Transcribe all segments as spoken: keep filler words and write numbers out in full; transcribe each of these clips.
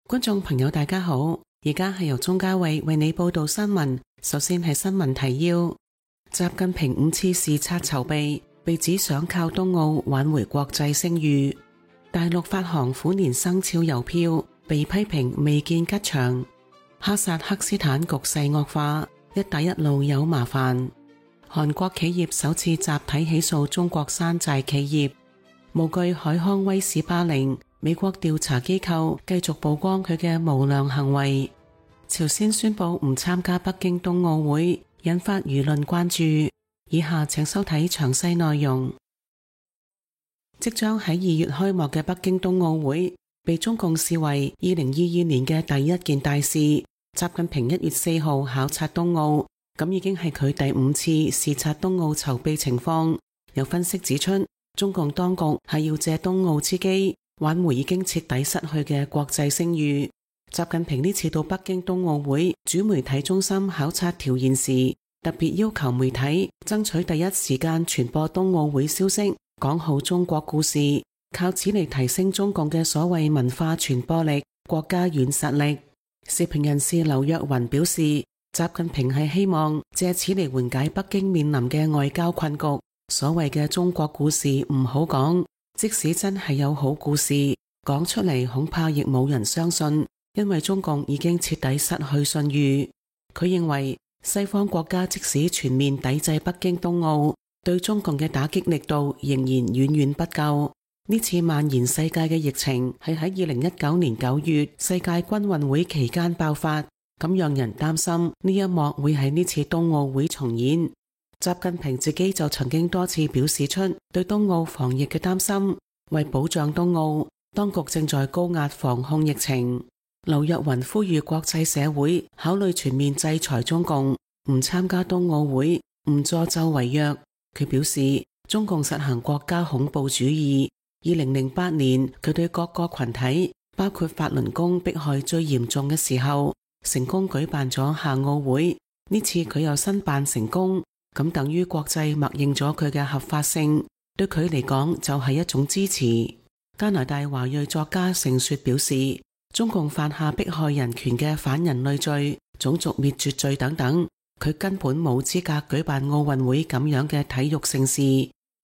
觀眾朋友大家好，而家係由鍾嘉慧為你報道新聞。首先係新聞提要：習近平五次視察籌備，被指想靠冬奧挽回國際聲譽。大陸發行虎年生肖郵票，被批評未見吉祥。哈薩克斯坦局勢惡化，一帶一路有麻煩。韓國企業首次集體起訴中國山寨企業。無懼海康威視霸凌，美國調查機構繼續曝光佢嘅無良行為。朝鮮宣布唔參加北京冬奧會，引發輿論關注。以下請收睇詳細內容。即將喺二月開幕嘅北京冬奧會，被中共視為二零二二年嘅第一件大事。習近平一月四號考察冬奧，咁已經係佢第五次視察冬奧籌備情況。有分析指出，中共當局係要借冬奧之機，挽回已經徹底失去嘅國際聲譽。習近平呢次到北京冬奧會主媒體中心考察調研時，特別要求媒體爭取第一時間傳播冬奧會消息，講好中國故事，靠此嚟提升中共嘅所謂文化傳播力、國家軟實力。時評人士劉若雲表示，習近平係希望借此嚟緩解北京面臨嘅外交困局。所謂嘅中國故事唔好講，即使真係有好故事，講出嚟恐怕亦冇人相信，因為中共已經徹底失去信譽。佢認為西方國家即使全面抵制北京冬奧，對中共嘅打擊力度仍然遠遠不夠。呢次蔓延世界嘅疫情係喺二零一九年九月世界軍運會期間爆發，咁讓人擔心呢一幕會喺呢次冬奧會重演。習近平自己就曾經多次表示出對冬奧防疫嘅擔心，為保障冬奧，當局正在高壓防控疫情。劉若雲呼籲國際社會考慮全面制裁中共，唔參加冬奧會，唔助紂為虐。佢表示，中共實行國家恐怖主義。二零零八年，佢對各個群體，包括法輪功迫害最嚴重嘅時候，成功舉辦咗夏奧會。呢次佢又申辦成功，咁等於國際默認咗佢嘅合法性，對佢嚟講就係一種支持。加拿大華裔作家盛雪表示，中共犯下迫害人權嘅反人類罪、種族滅絕罪等等，佢根本冇資格舉辦奧運會咁樣嘅體育盛事。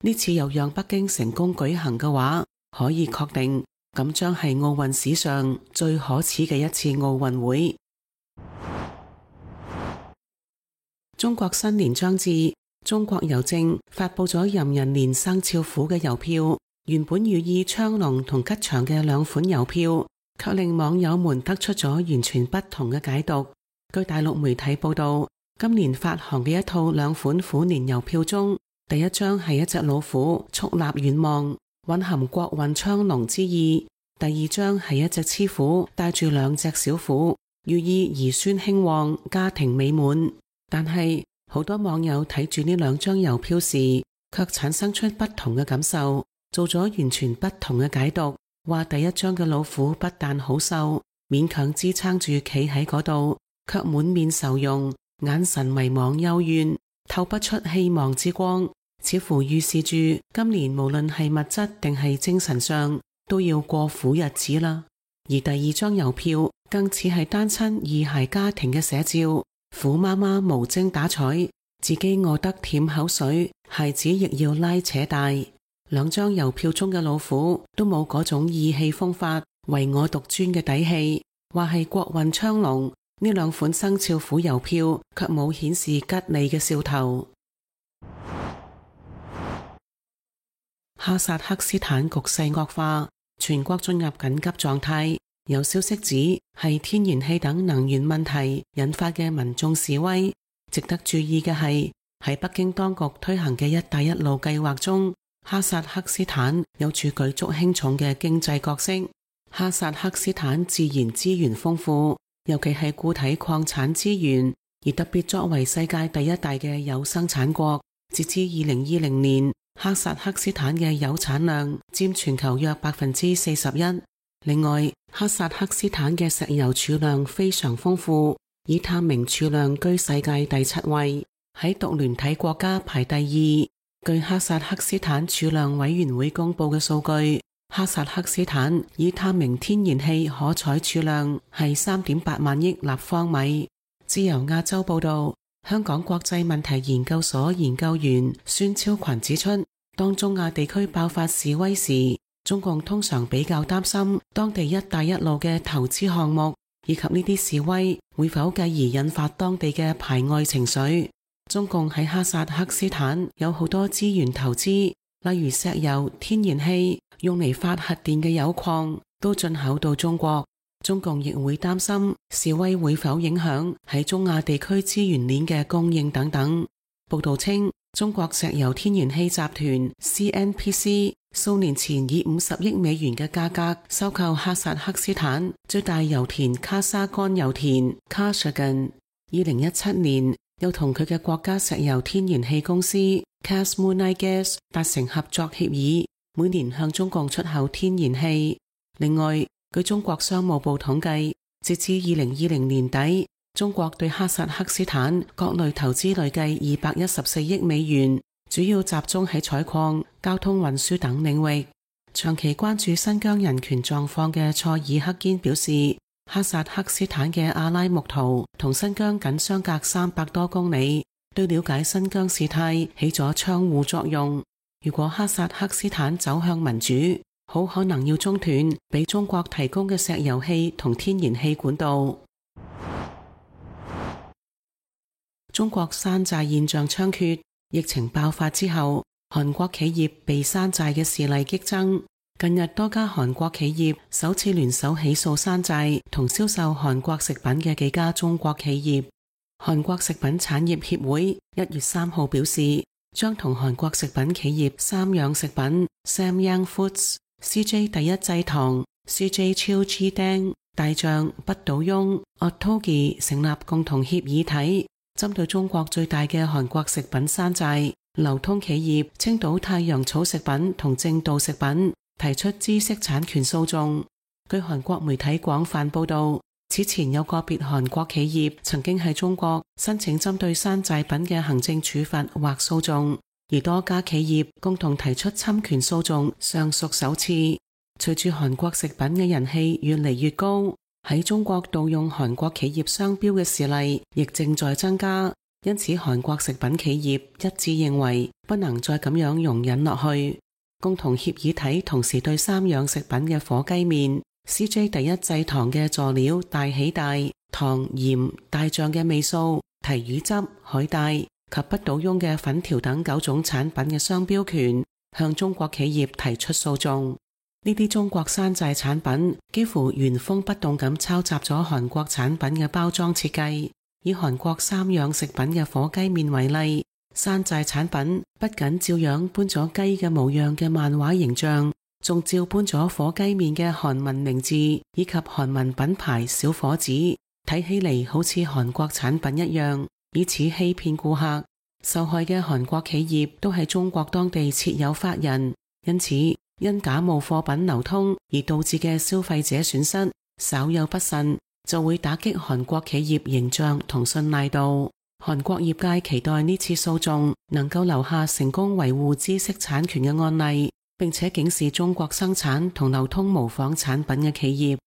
呢次又讓北京成功舉行嘅話，可以確定咁將係奧運史上最可恥嘅一次奧運會。中國新年將至，中國郵政發佈咗壬寅年生肖虎嘅郵票，原本寓意昌隆同吉祥嘅兩款郵票，卻令網友們得出咗完全不同嘅解讀。據大陸媒體報道，今年發行嘅一套兩款虎年郵票中，第一張係一隻老虎矗立遠望，蘊含國運昌隆之意；第二張係一隻雌虎帶住兩隻小虎，寓意兒孫興旺、家庭美滿。但係好多網友睇住呢兩張郵票時，卻產生出不同嘅感受，做咗完全不同嘅解讀。話第一張嘅老虎不但好瘦，勉強支撐住企喺嗰度，卻滿面愁容，眼神迷茫幽怨，透不出希望之光，似乎預示住今年無論係物質定係精神上都要過苦日子啦。而第二張郵票更似係單親二孩家庭嘅寫照，虎媽媽無精打采，自己餓得舔口水，孩子亦要拉扯大。兩張郵票中嘅老虎都冇嗰種意氣風發、唯我獨尊嘅底氣，話係國運昌隆。呢兩款生肖虎郵票卻冇顯示吉利嘅兆頭。哈薩克斯坦局勢惡化，全國進入緊急狀態。有消息指係天然氣等能源問題引發嘅民眾示威。值得注意嘅係，喺北京當局推行嘅一帶一路計劃中，哈薩克斯坦有住舉足輕重嘅經濟角色。哈薩克斯坦自然資源豐富，尤其係固體礦產資源，而特別作為世界第一大嘅鈾生產國，截至二零二零年，哈薩克斯坦嘅鈾產量佔全球約百分之四十一。另外，哈薩克斯坦嘅石油儲量非常豐富，以探明儲量居世界第七位，喺獨聯體國家排第二。據哈薩克斯坦儲量委員會公布嘅數據，哈薩克斯坦已探明天然氣可採儲量係三點八萬億立方米。自由亞洲報道，香港國際問題研究所研究員孫超群指出，當中亞地區爆發示威時，中共通常比較擔心當地一帶一路嘅投資項目，以及呢啲示威會否繼而引發當地嘅排外情緒。中共喺哈薩克斯坦有好多資源投資，例如石油、天然氣、用嚟發核電嘅鈾礦都進口到中國。中共亦會擔心示威會否影響喺中亞地區資源鏈嘅供應等等。報道稱，中國石油天然氣集團 C N P C 數年前以五十億美元嘅價格收購哈薩克斯坦最大油田卡沙干油田 Kashagan。二零一七年又同佢嘅國家石油天然氣公司 Kasmunaygas 達成合作協議，每年向中共出口天然氣。另外，據中國商務部統計，截至二零二零年底，中國對哈薩克斯坦各類投資累計二百一十四億美元，主要集中喺採礦、交通運輸等領域。長期關注新疆人權狀況嘅塞爾克堅表示，哈薩克斯坦嘅阿拉木圖同新疆僅相隔三百多公里，對了解新疆事態起咗窗戶作用。如果哈薩克斯坦走向民主，好可能要中斷俾中國提供嘅石油氣同天然氣管道。中國山寨現象猖獗，疫情爆發之後，韓國企業被山寨嘅事例激增。近日多家韓國企業首次聯手起訴山寨同銷售韓國食品嘅幾家中國企業。韓國食品產業協會一月三號表示，將同韓國食品企業三養食品 Samyang Foods、C J 第一製糖、C J Chilchidang、大象、不倒翁、Ottogi 成立共同協議體，針對中國最大嘅韓國食品山寨流通企業青島太陽草食品同正道食品提出知識產權訴訟。據韓國媒體廣泛報道，此前有個別韓國企業曾經喺中國申請針對山寨品嘅行政處罰或訴訟，而多家企業共同提出侵權訴訟，尚屬首次。隨住韓國食品嘅人氣越嚟越高，喺中國盜用韓國企業商標嘅事例亦正在增加，因此韓國食品企業一致認為不能再咁樣容忍落去。共同協議體同時對三養食品嘅火雞麵、C J 第一製糖嘅佐料大喜大、糖鹽、大醬嘅味素、提魚汁、海帶及不倒翁嘅粉條等九種產品嘅商標權向中國企業提出訴訟。呢啲中國山寨產品幾乎原封不動咁抄襲咗韓國產品嘅包裝設計。以韓國三養食品嘅火雞麵為例，山寨產品不僅照樣搬咗雞嘅模樣嘅漫畫形象，仲照搬咗火雞麵嘅韓文名字以及韓文品牌小伙子，睇起嚟好似韓國產品一樣，以此欺騙顧客。受害嘅韓國企業都係中國當地設有法人，因此因假冒貨品流通而導致嘅消費者損失，稍有不慎就會打擊韓國企業形象同信賴度。韓國業界期待呢次訴訟能夠留下成功維護知識產權嘅案例，並且警示中國生產同流通模仿產品嘅企業。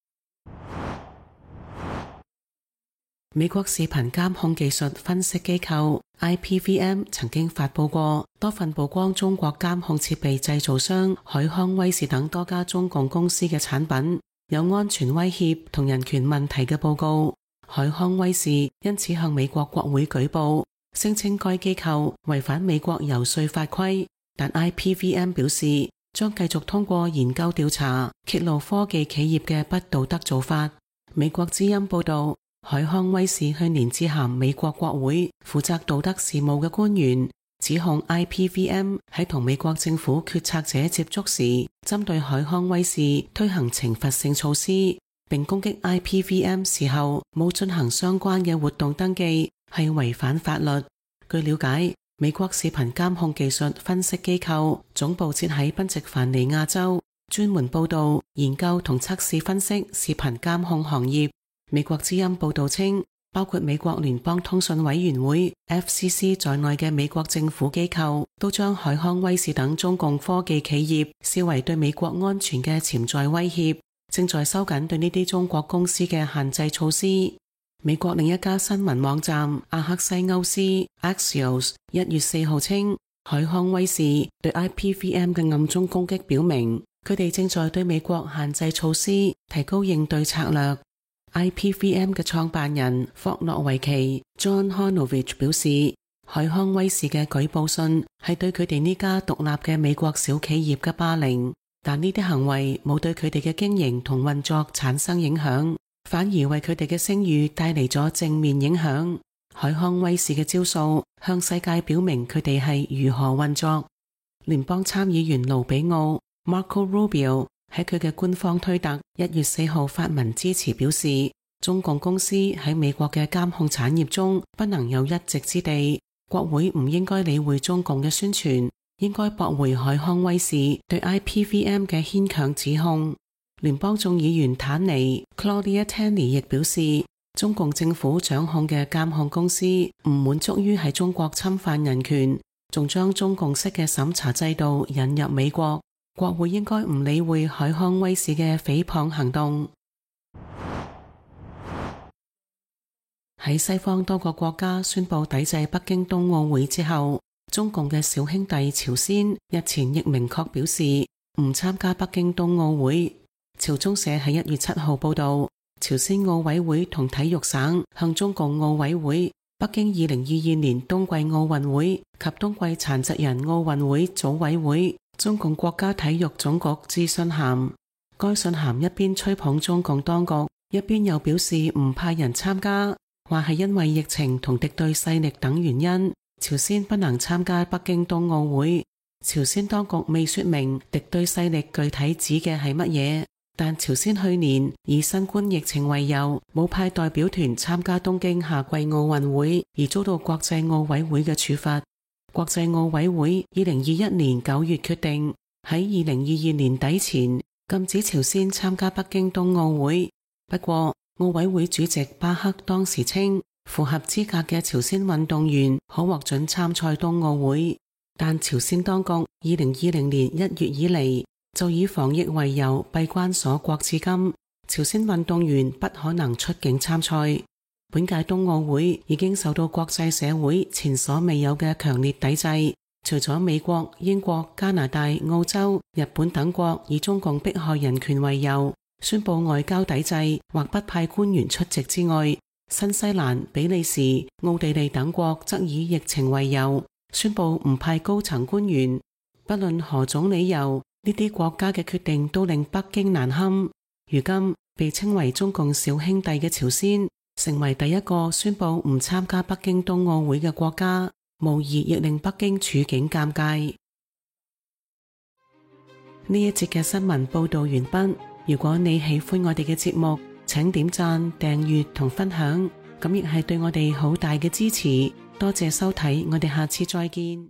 美國視頻監控技術分析機構 I P V M 曾經發佈過多份曝光中國監控設備製造商海康威視等多家中共公司嘅產品有安全威脅同人權問題嘅報告。海康威視因此向美國國會舉報，聲稱該機構違反美國遊說法規，但 I P V M 表示將繼續通過研究調查揭露科技企業嘅不道德做法。美國之音報道，海康威視去年致函美國國會負責道德事務嘅官員，指控 I P V M 喺同美國政府決策者接觸時，針對海康威視推行懲罰性措施，並攻擊 I P V M 時候冇進行相關嘅活動登記，係違反法律。據了解，美國視頻監控技術分析機構總部設喺賓夕凡尼亞州，專門報道、研究同測試分析視頻監控行業。美國之音報道稱，包括美國聯邦通訊委員會 F C C 在內嘅美國政府機構都將海康威視等中共科技企業視為對美國安全嘅潛在威脅，正在收緊對呢啲中國公司嘅限制措施。美國另一家新聞網站阿克西歐斯 Axios 一月四號稱，海康威視對 I P V M 嘅暗中攻擊表明，佢哋正在對美國限制措施提高應對策略。I P V M 嘅創辦人霍諾維奇 John Honovich 表示，海康威視嘅舉報信係對佢哋呢家獨立嘅美國小企業嘅霸凌，但呢啲行為冇對佢哋嘅經營同運作產生影響，反而為佢哋嘅聲譽帶嚟咗正面影響。海康威視嘅招數向世界表明佢哋係如何運作。聯邦參議員盧比奧 Marco Rubio 喺佢嘅官方推特一月四號發文支持，表示中共公司喺美國嘅監控產業中不能有一席之地，國會唔應該理會中共嘅宣傳，應該駁回海康威視對 I P V M 嘅牽強指控。聯邦眾議員坦尼 Claudia Tenney 亦表示，中共政府掌控嘅監控公司唔滿足於喺中國侵犯人權，仲將中共式嘅審查制度引入美國，國會應該唔理會海康威視嘅誹謗行動。喺西方多個國家宣布抵制北京冬奧會之後，中共嘅小兄弟朝鮮日前亦明確表示唔參加北京冬奧會。朝中社喺一月七號報道，朝鮮奧委會同體育省向中共奧委會、北京二零二二年冬季奧運會及冬季殘疾人奧運會組委會、中共國家體育總局致信函。該信函一邊吹捧中共當局，一邊又表示唔派人參加，話係因為疫情同敵對勢力等原因，朝鮮不能參加北京冬奧會。朝鮮當局未說明敵對勢力具體指嘅係乜嘢，但朝鮮去年以新冠疫情為由，冇派代表團參加東京夏季奧運會，而遭到國際奧委會嘅處罰。國際奧委會二零二一年九月決定喺二零二二年底前禁止朝鮮參加北京冬奧會。不過奧委會主席巴克當時稱，符合資格嘅朝鮮運動員可獲准參賽冬奧會，但朝鮮當局二零二零年一月以嚟就以防疫為由閉關鎖國至今，朝鮮運動員不可能出境參賽。本屆冬奧會已經受到國際社會前所未有嘅強烈抵制，除咗美國、英國、加拿大、澳洲、日本等國以中共迫害人權為由宣布外交抵制或不派官員出席之外，新西蘭、比利時、奧地利等國則以疫情為由宣布唔派高層官員。不論何種理由，呢啲國家嘅決定都令北京難堪。如今被稱為中共小兄弟嘅朝鮮成為第一個宣布唔參加北京冬奧會嘅國家，無疑亦令北京處境尷尬。呢一節嘅新聞報道完畢。如果你喜歡我哋嘅節目，請點讚、訂閱同分享，咁亦係對我哋好大嘅支持。多謝收睇，我哋下次再見。